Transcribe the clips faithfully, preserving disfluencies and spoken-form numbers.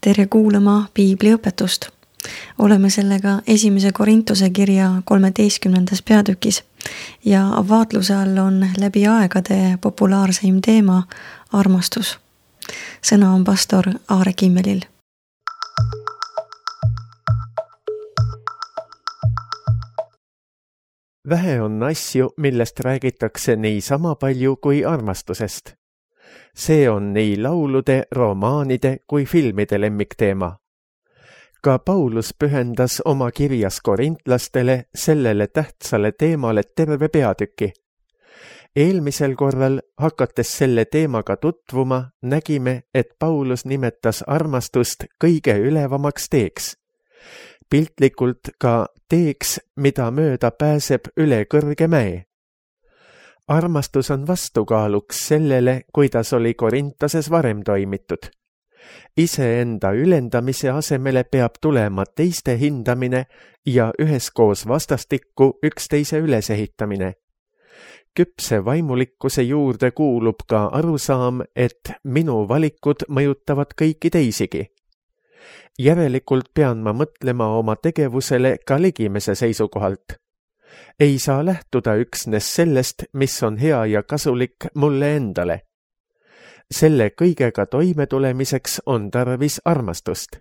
tere kuulama piibliõpetust. Oleme sellega esimese Korintuse kirja kolmeteistkümnendas peatükis ja vaatluse all on läbi aegade populaarseim teema armastus. Sõna on pastor Aare Kimmelil. Vähe on asju, millest räägitakse nii sama palju kui armastusest. See on nii laulude, romaanide kui filmide lemmikteema. Ka Paulus pühendas oma kirjas korintlastele sellele tähtsale teemale terve peatüki. Eelmisel korral, hakates selle teemaga tutvuma, nägime, et Paulus nimetas armastust kõige ülevamaks teeks. Piltlikult ka teeks, mida mööda pääseb üle kõrge mäe. Armastus on vastukaaluks sellele, kuidas oli Korintoses varem toimitud. Iseenda ülendamise asemele peab tulema teiste hindamine ja üheskoos vastastikku üksteise ülesehitamine. Küpse vaimulikkuse juurde kuulub ka arusaam, et minu valikud mõjutavad kõiki teisigi. Järelikult pean ma mõtlema oma tegevusele ka ligimese seisukohalt. Ei saa lähtuda üksnes sellest, mis on hea ja kasulik mulle endale. Selle kõigega toimetulemiseks on tarvis armastust.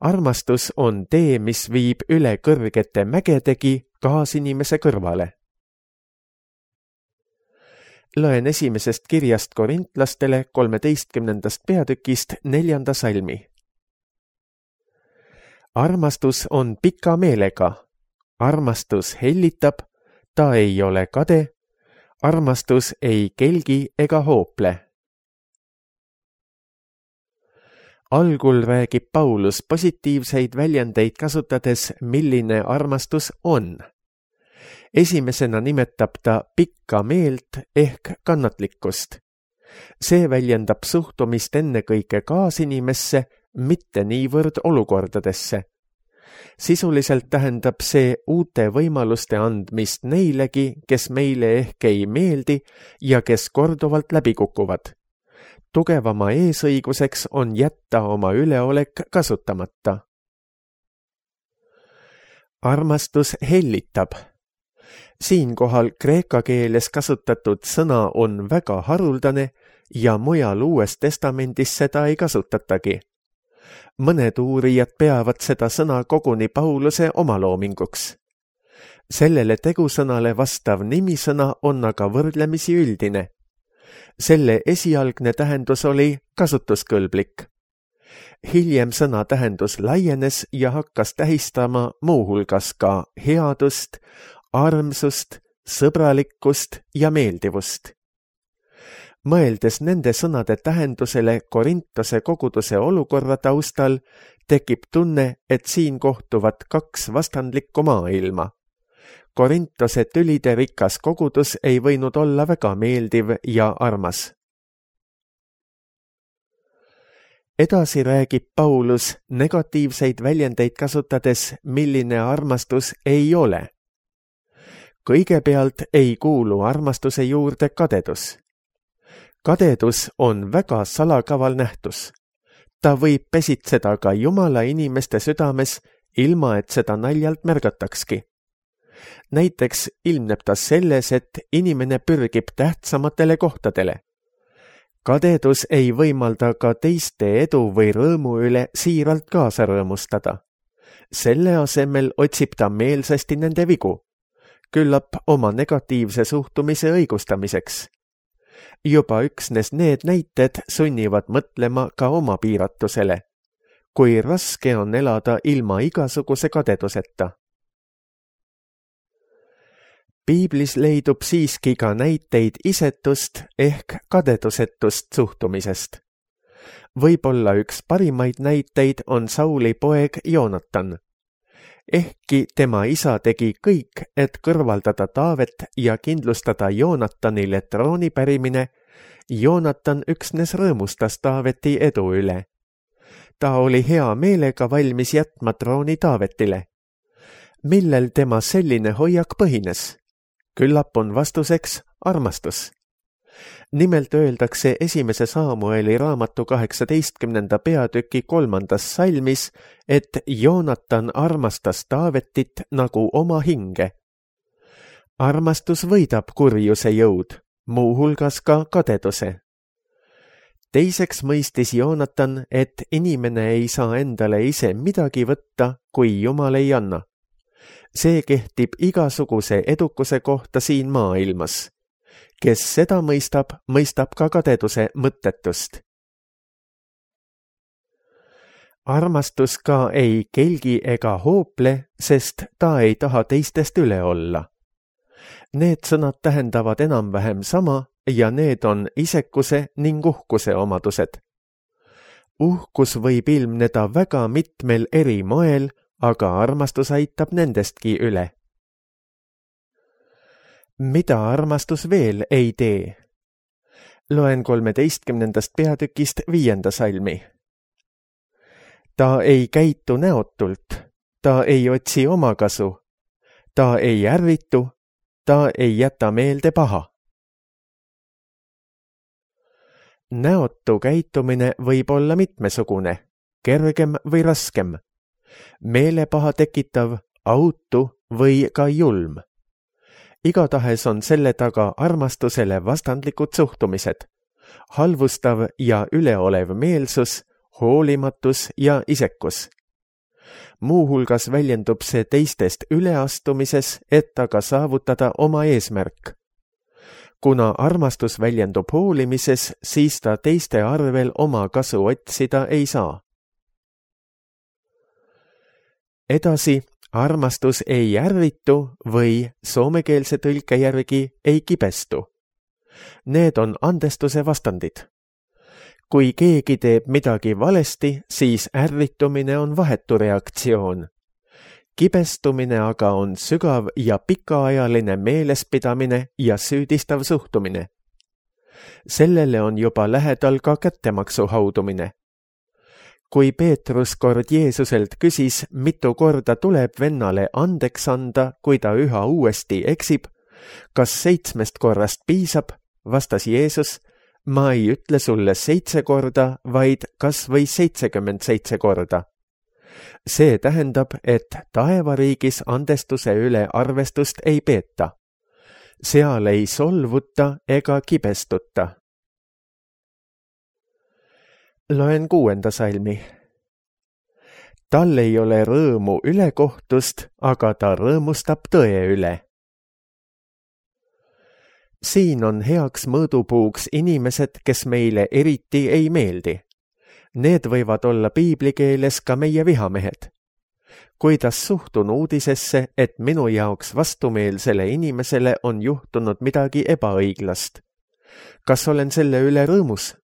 Armastus on tee, mis viib üle kõrgete mägedegi kaasinimese kõrvale. Loen esimesest kirjast korintlastele kolmeteistkümnendast peatükist neljanda salmi. Armastus on pika meelega. Armastus hellitab, ta ei ole kade, armastus ei kelgi ega hoople. Algul räägib Paulus positiivseid väljendeid kasutades, milline armastus on. Esimesena nimetab ta pikka meelt ehk kannatlikkust. See väljendab suhtumist ennekõike kaasinimesse, mitte niivõrd olukordadesse. Sisuliselt tähendab see uute võimaluste andmist neilegi, kes meile ehk ei meeldi ja kes korduvalt läbi kukuvad. Tugevama eesõiguseks on jätta oma üleolek kasutamata. Armastus hellitab. Siinkohal kreeka keeles kasutatud sõna on väga haruldane ja mujal Uues Testamendis seda ei kasutatagi. Mõned uurijad peavad seda sõna koguni Pauluse omaloominguks. Sellele tegusõnale vastav nimisõna on aga võrdlemisi üldine. Selle esialgne tähendus oli kasutuskõlblik. Hiljem sõna tähendus laienes ja hakkas tähistama muuhulgas ka headust, armsust, sõbralikkust ja meeldivust. Mõeldes nende sõnade tähendusele Korintose koguduse olukorra taustal, tekib tunne, et siin kohtuvad kaks vastandlikku maailma. Korintose tülide rikas kogudus ei võinud olla väga meeldiv ja armas. Edasi räägib Paulus negatiivseid väljendeid kasutades, milline armastus ei ole. Kõigepealt ei kuulu armastuse juurde kadedus. Kadedus on väga salakaval nähtus. Ta võib pesitseda ka Jumala inimeste südames, ilma et seda naljalt märgatakski. Näiteks ilmneb ta selles, et inimene pürgib tähtsamatele kohtadele. Kadedus ei võimalda ka teiste edu või rõõmu üle siiralt kaasa rõõmustada. Selle asemel otsib ta meelsasti nende vigu, küllap oma negatiivse suhtumise õigustamiseks. Juba üksnes need näited sunnivad mõtlema ka oma piiratusele, kui raske on elada ilma igasuguse kadeduseta. Piiblis leidub siiski ka näiteid isetust ehk kadedusetust suhtumisest. Võib-olla üks parimaid näiteid on Sauli poeg Joonatan. Ehkki tema isa tegi kõik, et kõrvaldada Taavet ja kindlustada Joonatanile trooni pärimine, Joonatan üksnes rõõmustas Taaveti edu üle. Ta oli hea meelega valmis jätma trooni Taavetile. Millel tema selline hoiak põhines? Küllap on vastuseks armastus. nimelt öeldakse esimese Saamueli raamatu kaheksateistkümnenda peatüki kolmandas salmis, et Joonatan armastas Taavetit nagu oma hinge. Armastus võidab kurjuse jõud, muuhulgas ka kadeduse. Teiseks mõistis Joonatan, et inimene ei saa endale ise midagi võtta, kui Jumal ei anna. See kehtib igasuguse edukuse kohta siin maailmas. Kes seda mõistab, mõistab ka kadeduse mõttetust. Armastus ka ei kelgi ega hoople, sest ta ei taha teistest üle olla. Need sõnad tähendavad enam-vähem sama ja need on isekuse ning uhkuse omadused. Uhkus võib ilmneda väga mitmel eri moel, aga armastus aitab nendestki üle. Mida armastus veel ei tee? Loen kolmeteistkümnendast peatükist viienda salmi. Ta ei käitu näotult, ta ei otsi omakasu, ta ei ärritu, ta ei jäta meelde paha. Näotu käitumine võib olla mitmesugune, kergem või raskem, meelepaha tekitav, autu või ka julm. Igatahes on selle taga armastusele vastandlikud suhtumised, halvustav ja üleolev meelsus, hoolimatus ja isekus. Muuhulgas väljendub see teistest üleastumises, et aga saavutada oma eesmärk. Kuna armastus väljendub hoolimises, siis ta teiste arvel oma kasu otsida ei saa. Edasi, armastus ei ärritu või soomekeelse tõlke järgi ei kibestu. Need on andestuse vastandid. Kui keegi teeb midagi valesti, siis ärritumine on vahetu reaktsioon. Kibestumine aga on sügav ja pikaajaline meelespidamine ja süüdistav suhtumine. Sellele on juba lähedal ka kättemaksu haudumine. Kui Peetrus kord Jeesuselt küsis, mitu korda tuleb vennale andeks anda, kui ta üha uuesti eksib, kas seitsmest korrast piisab, vastas Jeesus, ma ei ütle sulle seitse korda, vaid kas või seitsekümmend seitse korda. See tähendab, et taevariigis andestuse üle arvestust ei peeta. Seal ei solvuta ega kibestuta. Loen kuuenda salmi. Tal ei ole rõõmu ülekohtust, aga ta rõõmustab tõe üle. Siin on heaks mõõdupuuks inimesed, kes meile eriti ei meeldi. Need võivad olla piiblikeeles ka meie vihamehed. Kuidas suhtun uudisesse, et minu jaoks vastumeelsele inimesele on juhtunud midagi ebaõiglast? Kas olen selle üle rõõmus?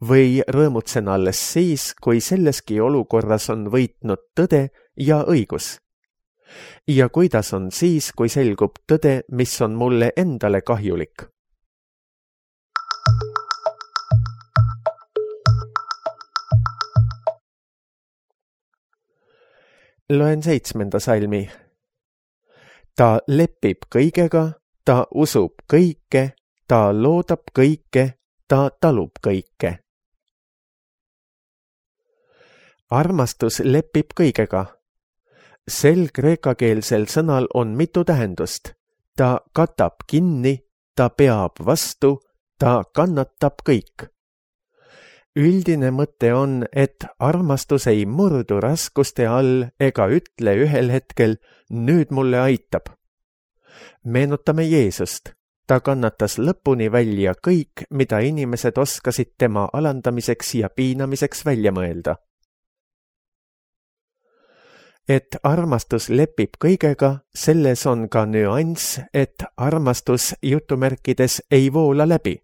Või rõõmutsen alles siis, kui selleski olukorras on võitnud tõde ja õigus? Ja kuidas on siis, kui selgub tõde, mis on mulle endale kahjulik? Loen seitsmenda salmi. Ta lepib kõigega, ta usub kõike, ta loodab kõike, ta talub kõike. Armastus lepib kõigega. Sel kreekakeelsel sõnal on mitu tähendust. Ta katab kinni, ta peab vastu, ta kannatab kõik. Üldine mõte on, et armastus ei murdu raskuste all ega ütle ühel hetkel, nüüd mulle aitab. Meenutame Jeesust. Ta kannatas lõpuni välja kõik, mida inimesed oskasid tema alandamiseks ja piinamiseks välja mõelda. Et armastus lepib kõigega, selles on ka nüanss, et armastus jutumärkides ei voola läbi.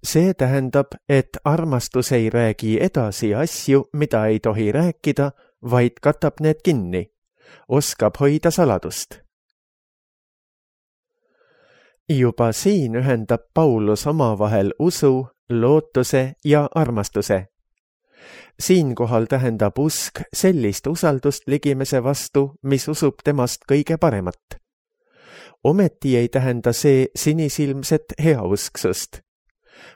See tähendab, et armastus ei räägi edasi asju, mida ei tohi rääkida, vaid katab need kinni, oskab hoida saladust. Juba siin ühendab Paulus omavahel usu, lootuse ja armastuse. Siinkohal tähendab usk sellist usaldust ligimese vastu, mis usub temast kõige paremat. ometi ei tähenda see sinisilmset heausksust.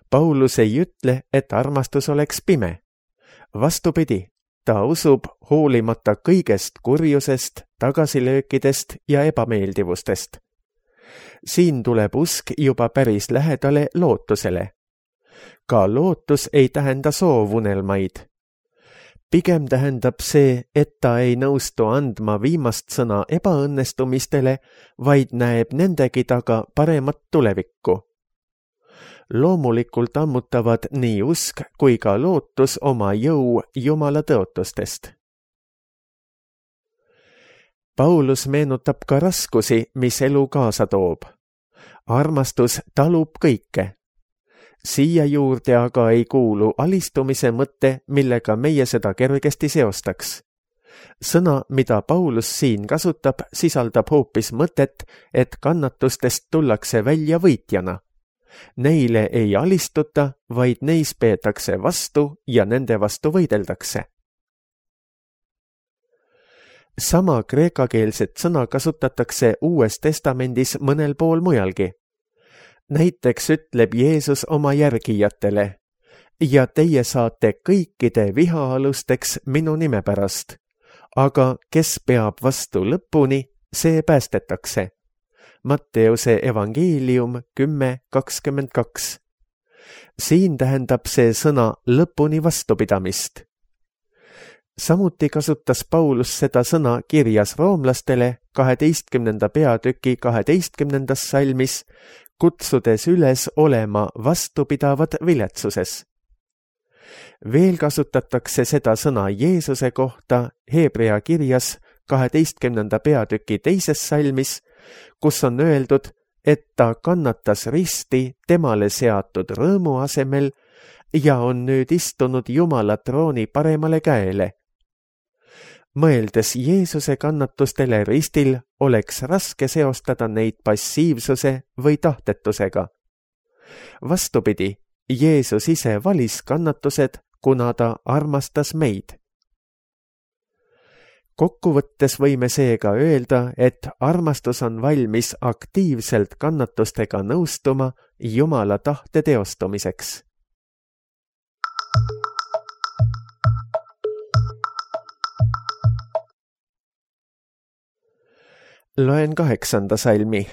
Paulus ei ütle, et armastus oleks pime. Vastupidi, ta usub hoolimata kõigest kurjusest, tagasilöökidest ja ebameeldivustest. Siin tuleb usk juba päris lähedale lootusele. Ka lootus ei tähenda soovunelmaid. Pigem tähendab see, et ta ei nõustu andma viimast sõna ebaõnnestumistele, vaid näeb nendegi taga paremat tulevikku. Loomulikult ammutavad nii usk kui ka lootus oma jõu Jumala tõotustest. Paulus meenutab ka raskusi, mis elu kaasa toob. Armastus talub kõike. Siia juurde aga ei kuulu alistumise mõtte, millega meie seda kergesti seostaks. Sõna, mida Paulus siin kasutab, sisaldab hoopis mõtet, et kannatustest tullakse välja võitjana. Neile ei alistuta, vaid neis peetakse vastu ja nende vastu võideldakse. Sama kreekakeelset sõna kasutatakse Uues Testamendis mõnel pool mujalgi. Näiteks ütleb Jeesus oma järgijatele, ja teie saate kõikide vihaalusteks minu nime pärast, aga kes peab vastu lõpuni, see päästetakse. Matteuse evangeelium kümme kakskümmend kaks. Siin tähendab see sõna lõpuni vastupidamist. Samuti kasutas Paulus seda sõna kirjas roomlastele kaheteistkümnenda peatüki kaheteistkümnendas salmis, kutsudes üles olema vastupidavad viletsuses. Veel kasutatakse seda sõna Jeesuse kohta Hebrea kirjas kaheteistkümnenda peatüki teises salmis, kus on öeldud, et ta kannatas risti temale seatud rõõmu asemel ja on nüüd istunud Jumala trooni paremale käele. Mõeldes Jeesuse kannatustele ristil, oleks raske seostada neid passiivsuse või tahtetusega. Vastupidi, Jeesus ise valis kannatused, kuna ta armastas meid. Kokkuvõttes võime seega öelda, et armastus on valmis aktiivselt kannatustega nõustuma Jumala tahte teostumiseks. Loen kaheksanda salmi.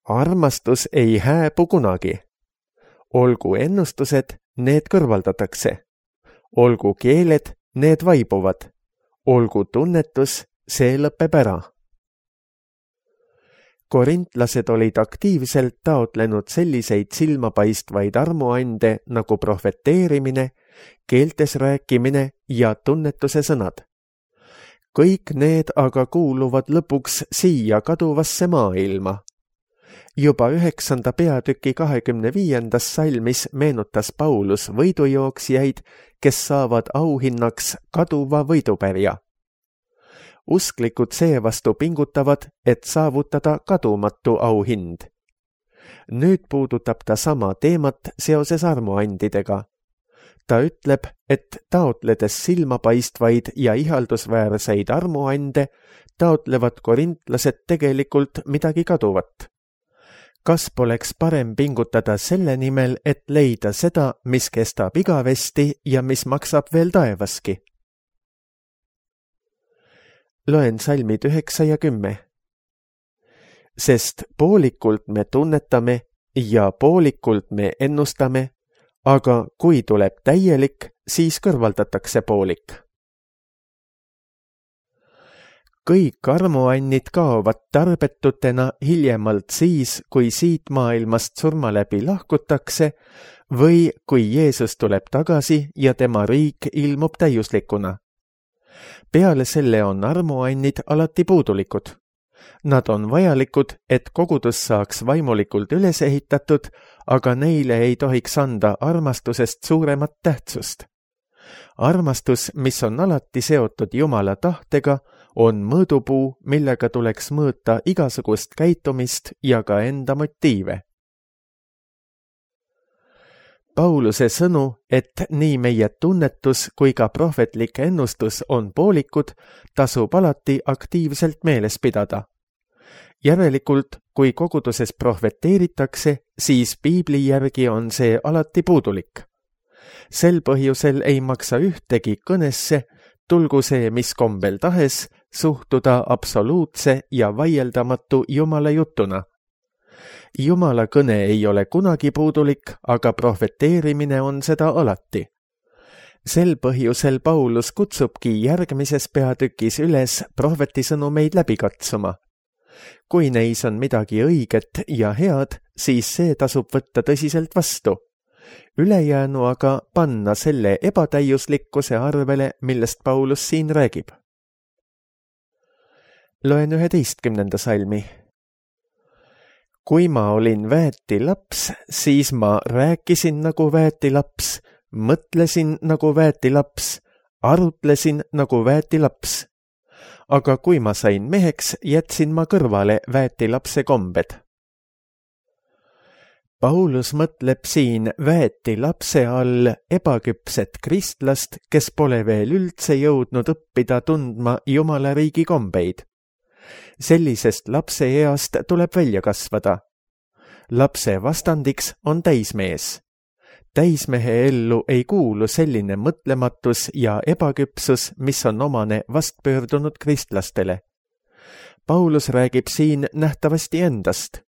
Armastus ei hääbu kunagi. Olgu ennustused, need kõrvaldatakse. Olgu keeled, need vaibuvad. Olgu tunnetus, see lõpeb ära. Korintlased olid aktiivselt taotlenud selliseid silmapaistvaid armuande nagu profeteerimine, keeltes rääkimine ja tunnetuse sõnad. Kõik need aga kuuluvad lõpuks siia kaduvasse maailma. Juba üheksanda peatüki kahekümne viiendas salmis meenutas Paulus võidujooksjaid, kes saavad auhinnaks kaduva võidupärja. Usklikud seevastu pingutavad, et saavutada kadumatu auhind. Nüüd puudutab ta sama teemat seoses armuandidega. Ta ütleb, et taotledes silmapaistvaid ja ihaldusväärseid armuande, taotlevad korintlased tegelikult midagi kaduvat. Kas poleks parem pingutada selle nimel, et leida seda, mis kestab igavesti ja mis maksab veel taevaski? Loen salmid üheksa ja kümme. Sest poolikult me tunnetame ja poolikult me ennustame, aga kui tuleb täielik, siis kõrvaldatakse poolik. Kõik armuannid kaovad tarbetutena hiljemalt siis, kui siit maailmast surma läbi lahkutakse või kui Jeesus tuleb tagasi ja tema riik ilmub täiuslikuna. Peale selle on armuannid alati puudulikud. Nad on vajalikud, et kogudus saaks vaimulikult üles ehitatud, aga neile ei tohiks anda armastusest suuremat tähtsust. Armastus, mis on alati seotud Jumala tahtega, on mõõdupuu, millega tuleks mõõta igasugust käitumist ja ka enda motiive. Pauluse sõnu, et nii meie tunnetus kui ka prohvetlik ennustus on poolikud, tasub alati aktiivselt meeles pidada. Järelikult, kui koguduses prohveteeritakse, siis piibli järgi on see alati puudulik. Sel põhjusel ei maksa ühtegi kõnesse, tulgu see mis kombel tahes, suhtuda absoluutse ja vaieldamatu Jumala jutuna. Jumala kõne ei ole kunagi puudulik, aga prohveteerimine on seda alati. Sel põhjusel Paulus kutsubki järgmises peatükis üles prohvetisõnumeid läbi katsuma. Kui neis on midagi õiget ja head, siis see tasub võtta tõsiselt vastu. Ülejäänu aga panna selle ebatäiuslikkuse arvele, millest Paulus siin räägib. Loen üheteistkümnenda salmi. Kui ma olin väeti laps, siis ma rääkisin nagu väeti laps, mõtlesin nagu väeti laps, arutlesin nagu väeti laps. Aga kui ma sain meheks, jätsin ma kõrvale väeti lapse kombed. Paulus mõtleb siin väeti lapse all ebaküpset kristlast, kes pole veel üldse jõudnud õppida tundma Jumala riigi kombeid. Sellisest lapse east tuleb välja kasvada. Lapse vastandiks on täismees. Täismehe ellu ei kuulu selline mõtlematus ja ebaküpsus, mis on omane vastpöördunud kristlastele. Paulus räägib siin nähtavasti endast.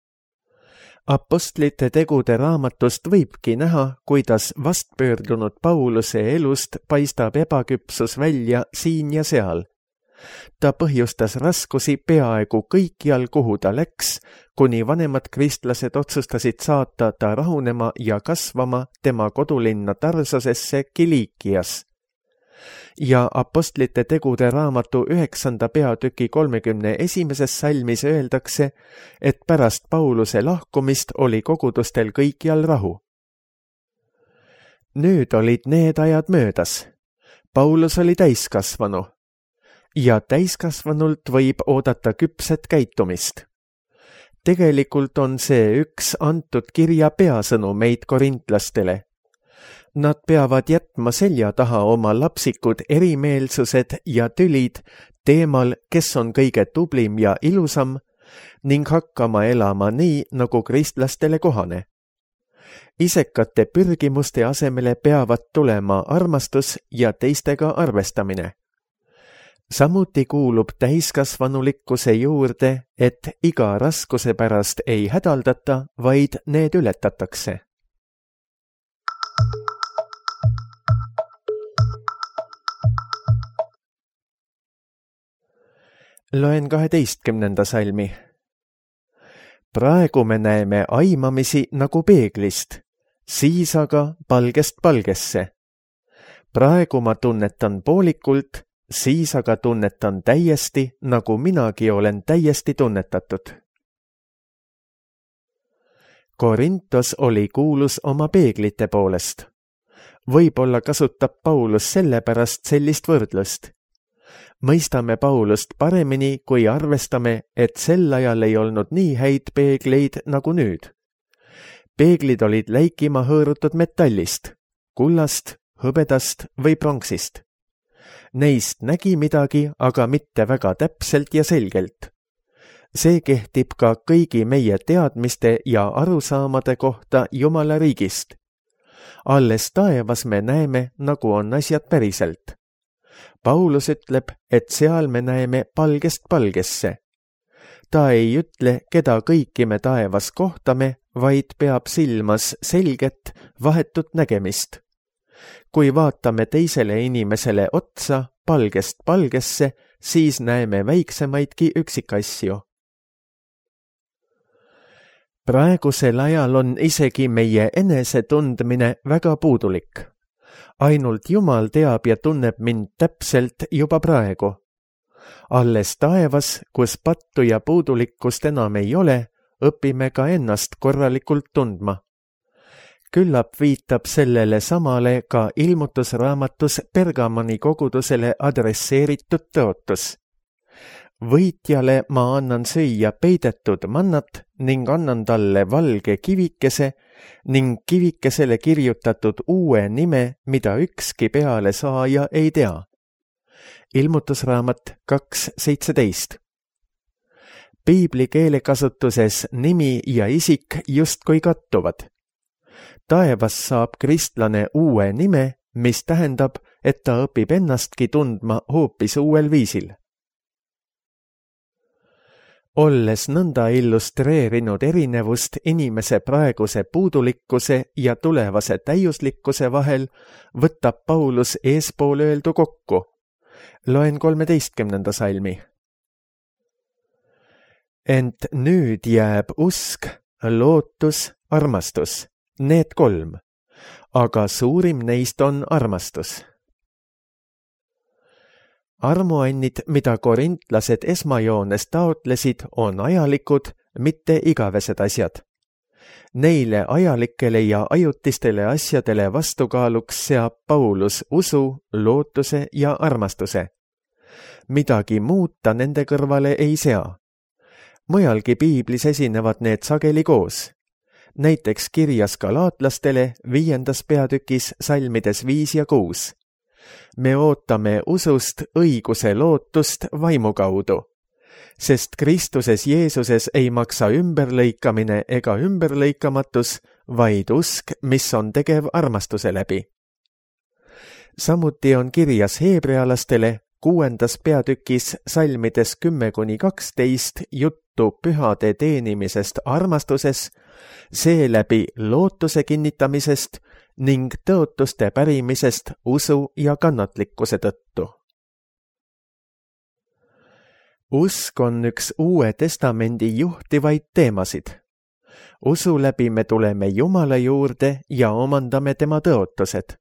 Apostlite tegude raamatust võibki näha, kuidas vastpöördunud Pauluse elust paistab ebaküpsus välja siin ja seal. Ta põhjustas raskusi peaaegu kõikjal, kuhu ta läks, kuni vanemad kristlased otsustasid saata ta rahunema ja kasvama tema kodulinna Tarsosesse Kiliikias. Ja apostlite tegude raamatu üheksanda peatüki kolmekümne esimeses salmis öeldakse, et pärast Pauluse lahkumist oli kogudustel kõikjal rahu. Nüüd olid need ajad möödas. Paulus oli täiskasvanu. Ja täiskasvanult võib oodata küpset käitumist. Tegelikult on see üks antud kirja peasõnumeid korintlastele. Nad peavad jätma selja taha oma lapsikud erimeelsused ja tülid teemal, kes on kõige tublim ja ilusam, ning hakkama elama nii, nagu kristlastele kohane. Isekate pürgimuste asemele peavad tulema armastus ja teistega arvestamine. Samuti kuulub täiskasvanulikkuse juurde, et iga raskuse pärast ei hädaldata, vaid need ületatakse. Loen kaheteistkümnenda salmi. Praegu me näeme aimamisi nagu peeglist, siis aga palgest palgesse. Praegu ma tunnetan poolikult, siis aga tunnetan täiesti, nagu minagi olen täiesti tunnetatud. Korintos oli kuulus oma peeglite poolest. Võib-olla kasutab Paulus sellepärast sellist võrdlust. Mõistame Paulust paremini, kui arvestame, et sel ajal ei olnud nii häid peegleid nagu nüüd. Peeglid olid läikima hõõrutud metallist, kullast, hõbedast või pronksist. Neist nägi midagi, aga mitte väga täpselt ja selgelt. See kehtib ka kõigi meie teadmiste ja arusaamade kohta Jumala riigist. Alles taevas me näeme, nagu on asjad päriselt. Paulus ütleb, et seal me näeme palgest palgesse. Ta ei ütle, keda kõiki me taevas kohtame, vaid peab silmas selget, vahetut nägemist. Kui vaatame teisele inimesele otsa palgest palgesse, siis näeme väiksemaidki üksikasju. Praegusel ajal on isegi meie enesetundmine väga puudulik. Ainult Jumal teab ja tunneb mind täpselt juba praegu. Alles taevas, kus pattu ja puudulikkust enam ei ole, õpime ka ennast korralikult tundma. Küllap viitab sellele samale ka ilmutusraamatus Pergamoni kogudusele adresseeritud tõotus. Võitjale ma annan süüa peidetud mannat ning annan talle valge kivikese ning kivikesele kirjutatud uue nime, mida ükski peale saaja ei tea. Ilmutusraamat kaks seitseteist. piibli keelekasutuses nimi ja isik justkui kattuvad. Taevas saab kristlane uue nime, mis tähendab, et ta õpib ennastki tundma hoopis uuel viisil. Olles nõnda illustreerinud erinevust inimese praeguse puudulikkuse ja tulevase täiuslikkuse vahel, võtab Paulus eespool öeldu kokku. Loen kolmeteistkümnenda salmi. Ent nüüd jääb usk, lootus, armastus, need kolm, aga suurim neist on armastus. Armuannid, mida korintlased esmajoones taotlesid, on ajalikud, mitte igavesed asjad. Neile ajalikele ja ajutistele asjadele vastukaaluks seab Paulus usu, lootuse ja armastuse. Midagi muud ta nende kõrvale ei sea. Mujalgi piiblis esinevad need sageli koos. Näiteks kirjas galaatlastele viiendas peatükis salmides viis ja kuus. Me ootame usust õiguse lootust vaimu kaudu, sest Kristuses Jeesuses ei maksa ümberlõikamine ega ümberlõikamatus, vaid usk, mis on tegev armastuse läbi. Samuti on kirjas heebrealastele kuuendas peatükis salmides kümme kuni kaksteist juttu pühade teenimisest armastuses, seeläbi lootuse kinnitamisest ning tõotuste pärimisest usu ja kannatlikkuse tõttu. Usk on üks Uue Testamendi juhtivaid teemasid. Usu läbi me tuleme Jumala juurde ja omandame tema tõotused.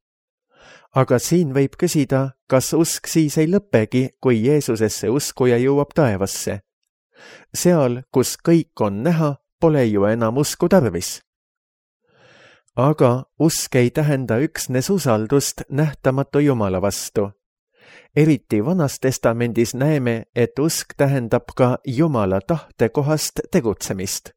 Aga siin võib küsida, kas usk siis ei lõpegi, kui Jeesusesse uskuja jõuab taevasse. Seal, kus kõik on näha, pole ju enam usku tarvis. Aga usk ei tähenda üksnes usaldust nähtamatu Jumala vastu. Eriti Vanas Testamendis näeme, et usk tähendab ka Jumala tahte kohast tegutsemist.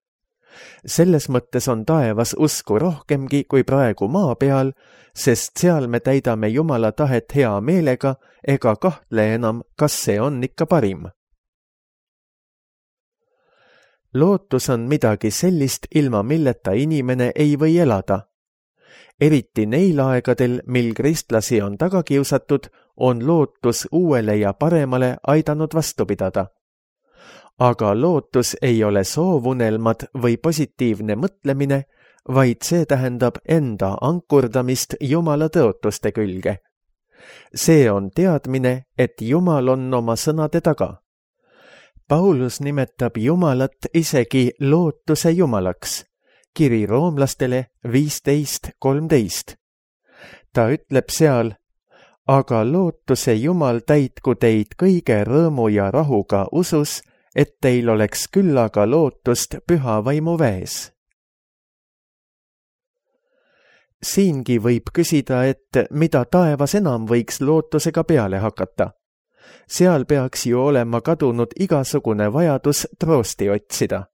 Selles mõttes on taevas usku rohkemgi kui praegu maa peal, sest seal me täidame Jumala tahet hea meelega ega kahtle enam, kas see on ikka parim. Lootus on midagi sellist, ilma milleta inimene ei või elada. Eriti neil aegadel, mil kristlasi on taga kiusatud, on lootus uuele ja paremale aidanud vastu pidada. Aga lootus ei ole soovunelmad või positiivne mõtlemine, vaid see tähendab enda ankurdamist Jumala tõotuste külge. See on teadmine, et Jumal on oma sõnade taga. Paulus nimetab Jumalat isegi lootuse Jumalaks. Kiri roomlastele viisteist kolmteist. Ta ütleb seal, aga lootuse Jumal täitku teid kõige rõõmu ja rahuga usus, et teil oleks küllaga lootust püha vaimu väes. Siingi võib küsida, et mida taevas enam võiks lootusega peale hakata. Seal peaks ju olema kadunud igasugune vajadus troosti otsida.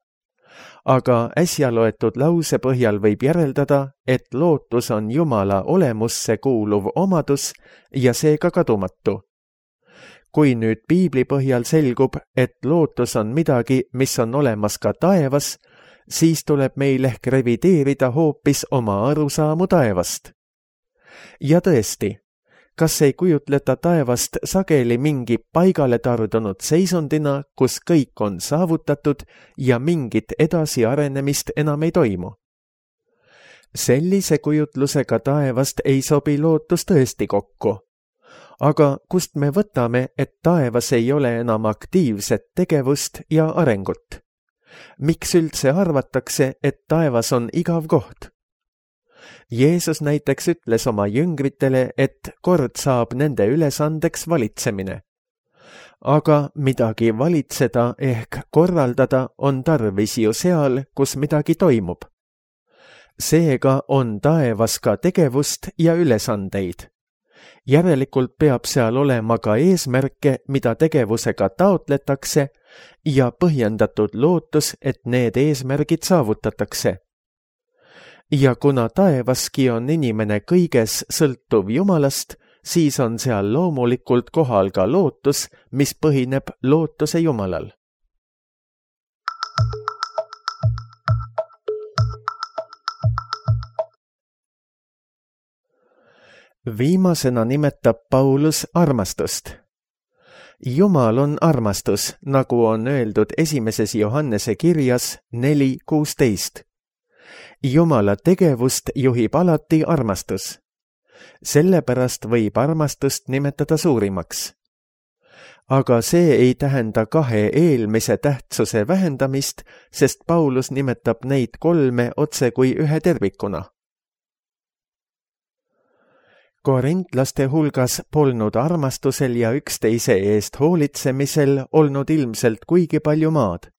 Aga äsja loetud lause põhjal võib järeldada, et lootus on Jumala olemusse kuuluv omadus ja seega kadumatu. Kui nüüd piibli põhjal selgub, et lootus on midagi, mis on olemas ka taevas, siis tuleb meil ehk revideerida hoopis oma arusaamu taevast. Ja tõesti, kas ei kujutleta taevast sageli mingi paigale tardunud seisundina, kus kõik on saavutatud ja mingit edasiarenemist enam ei toimu? Sellise kujutlusega taevast ei sobi lootus tõesti kokku. Aga kust me võtame, et taevas ei ole enam aktiivset tegevust ja arengut? Miks üldse arvatakse, et taevas on igav koht? Jeesus näiteks ütles oma jüngritele, et kord saab nende ülesandeks valitsemine. Aga midagi valitseda ehk korraldada on tarvis ju seal, kus midagi toimub. Seega on taevas ka tegevust ja ülesandeid. Järelikult peab seal olema ka eesmärke, mida tegevusega taotletakse ja põhjendatud lootus, et need eesmärgid saavutatakse. Ja kuna taevaski on inimene kõiges sõltuv Jumalast, siis on seal loomulikult kohal ka lootus, mis põhineb lootuse Jumalal. Viimasena nimetab Paulus armastust. Jumal on armastus, nagu on öeldud esimeses Johannese kirjas neli kuusteist. Jumala tegevust juhib alati armastus. Sellepärast võib armastust nimetada suurimaks. Aga see ei tähenda kahe eelmise tähtsuse vähendamist, sest Paulus nimetab neid kolme otse kui ühe tervikuna. Korintlaste hulgas polnud armastusel ja üksteise eest hoolitsemisel olnud ilmselt kuigi palju maad.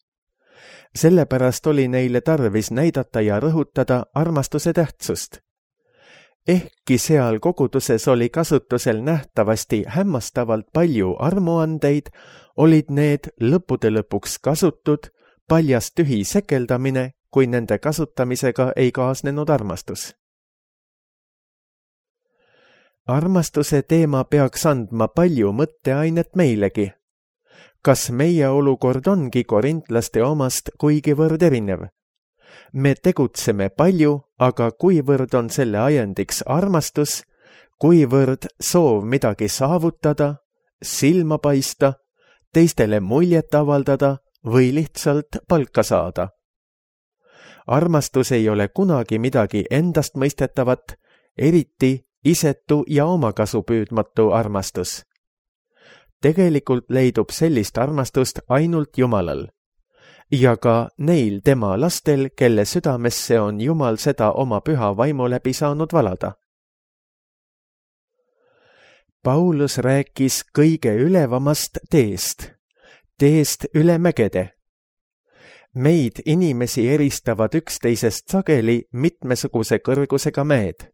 Sellepärast oli neile tarvis näidata ja rõhutada armastuse tähtsust. Ehkki seal koguduses oli kasutusel nähtavasti hämmastavalt palju armuandeid, olid need lõppude lõpuks kasutud, paljas tühi sekeldamine, kui nende kasutamisega ei kaasnenud armastus. Armastuse teema peaks andma palju mõtteainet meilegi. Kas meie olukord ongi korintlaste omast kuigivõrd erinev? Me tegutseme palju, aga kuivõrd on selle ajendiks armastus, kuivõrd soov midagi saavutada, silma paista, teistele muljet avaldada või lihtsalt palka saada. Armastus ei ole kunagi midagi endast mõistetavat, eriti isetu ja omakasu püüdmatu armastus. Tegelikult leidub sellist armastust ainult Jumalal. Ja ka neil tema lastel, kelle südamesse on Jumal seda oma püha vaimu läbi saanud valada. Paulus rääkis kõige ülevamast teest, teest üle mägede. Meid inimesi eristavad üksteisest sageli mitmesuguse kõrgusega mäed.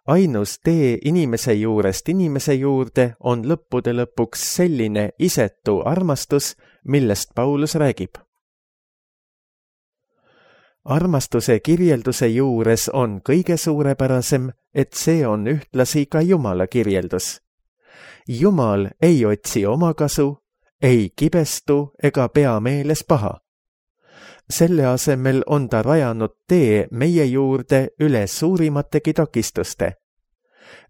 Ainus tee inimese juurest inimese juurde on lõppude lõpuks selline isetu armastus, millest Paulus räägib. Armastuse kirjelduse juures on kõige suurepärasem, et see on ühtlasi ka Jumala kirjeldus. Jumal ei otsi omakasu, ei kibestu ega pea meeles paha. Selle asemel on ta rajanud tee meie juurde üle suurimategi takistuste.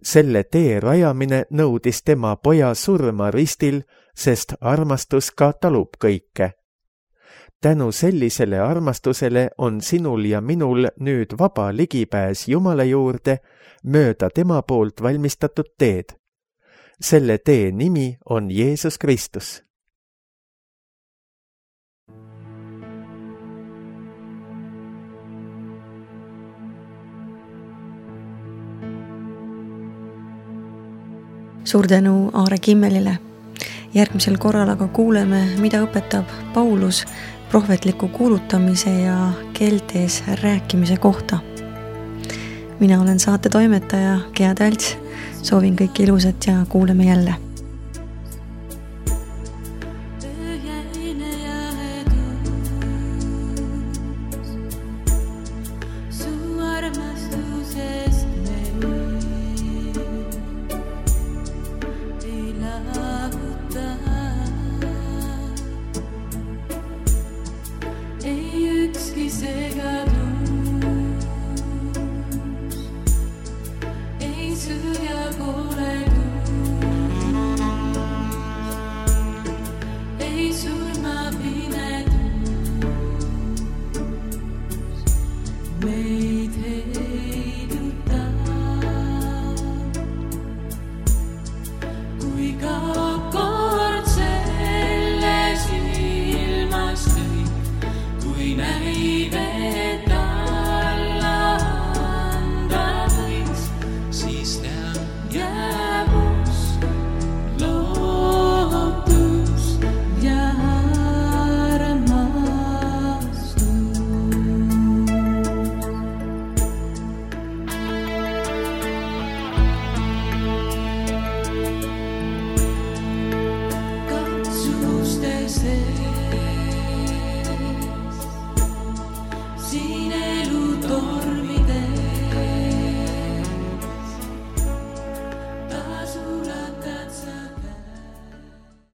Selle tee rajamine nõudis tema poja surma ristil, sest armastus ka talub kõike. Tänu sellisele armastusele on sinul ja minul nüüd vaba ligipääs Jumala juurde mööda tema poolt valmistatud teed. Selle tee nimi on Jeesus Kristus. Suur tänu Aare Kimmelile. Järgmisel korral aga kuuleme, mida õpetab Paulus prohvetliku kuulutamise ja keeltes rääkimise kohta. Mina olen saate toimetaja Gea Talts. Soovin kõike ilusat ja kuuleme jälle.